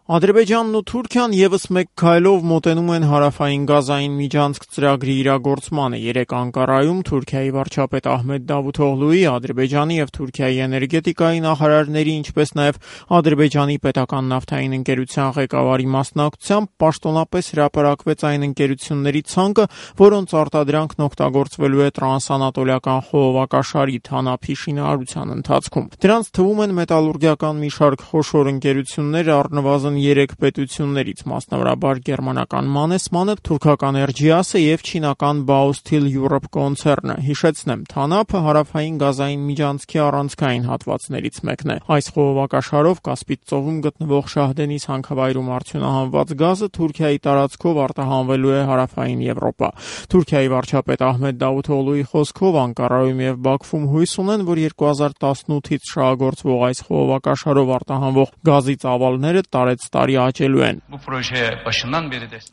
Ադրբեջանն ու Թուրքիան ևս մեկ քայլով մոտենում են հարավային գազային միջանցք ծրագրի իրագործմանը։ Երեկ Անկարայում Թուրքիայի վարչապետ Ահմեդ Դավութօղլուի, Ադրբեջանի եւ Թուրքիայի էներգետիկայի նախարարների, ինչպես նաեւ Ադրբեջանի պետական նավթային ընկերության ղեկավարի մասնակցությամբ պաշտոնապես հրապարակվեց այն ընկերությունների ցանկը, որոնց արտադրանքն օգտագործվելու է տրանսանատոլիական խողովակաշարի TANAP-ի շինարարության ընթացքում։ Դրանց թվում են մետալուրգիական մի շարք խոշոր ընկերություններ, առնվազն 3 պետություններից, մասնավորաբար գերմանական Mannesmann-ը, թուրքական Ergias-ը եւ չինական Baosteel Europe կոնցեռնը։ Հիշեցնեմ, TANAP-ը հարավային գազային միջանցքի առանցքային հատվածներից մեկն է։ Այս խողովակաշարով Կասպից ծովում գտնվող Շահդենիս հանքավայրում արդյունահանված գազը Թուրքիայի տարածքով արտահանվելու է հարավային Եվրոպա։ Թուրքիայի վարչապետ Ահմեդ Դավութօղլուի խոսքով Անկարայում եւ Բաքվում հույս ունեն, որ 2018-ից շահագործվող այս խողովակաշարով արտահանվող գազի ծավալները տարեցտարի աճելու են։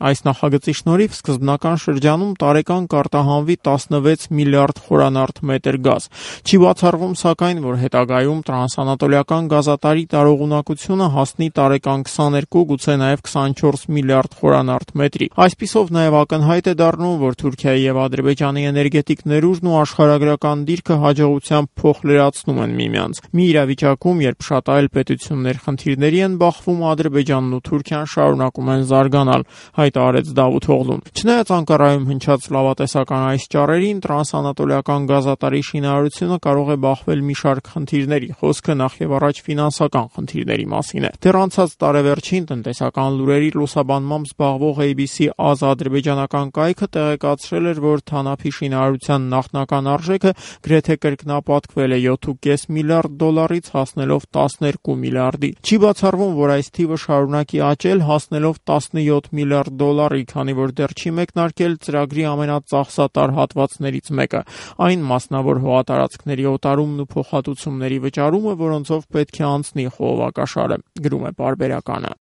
Այս նախագծի շնորհիվ սկզբնական շրջանում տարեկան կարտահանվի 16 միլիարդ խորանարդ մետր գազ։ Չի բացառվում, սակայն, որ հետագայում տրանսանատոլիական գազատարի տարողունակությունը հասնի տարեկան 22, գուցե նաև 24 միլիարդ խորանարդ մետրի։ Այսպիսով նաև ակնհայտ է դառնում, որ Թուրքիայի եւ Ադրբեջանի էներգետիկ ներուժն ու աշխարհագրական դիրքը հաջողությամբ փոխլրացնում են միմյանց։ Մի իրավիճակում, երբ շատ այլ պետություններ խնդիրների են բախվում, Ադրբեջանն ու Թուրքիան շարունակում են զարգանալ, հայտարարեց Դավութօղլուն։ Չնայած Անկարայում հնչած լավատեսական այս ճառերին, տրանսանատոլիական գազատարի շինարարությունը կարող է բախվել մի շարք խնդիրների։ Խոսքը նախ եւ առաջ ֆինանսական խնդիրների մասին է։ Դեռ անցած տարեվերջին տնտեսական լուրերի լուսաբանմամբ զբաղվող ABC ադրբեջանական կայքը տեղեկացրել էր, որ TANAP-ի շինարարության նախնական արժեքը գրեթե կրկնապատկվել է 7.5 միլիարդ դոլարից հասնելով 12 միլիարդի։ Չի բացառվում, որ այս թիվը շարունակի աճել, հասնելով 17 միլիարդ դոլարի, քանի որ դեռ չի մեկնարկել ծրագրի ամենածախսատար հատվածներից մեկը՝ այն մասնավոր հողատարածքների օտարումն ու փոխհատուցումների վճարումը, որոնցով պետք է անցնի խողովակաշարը, գրում է Պարբերականը։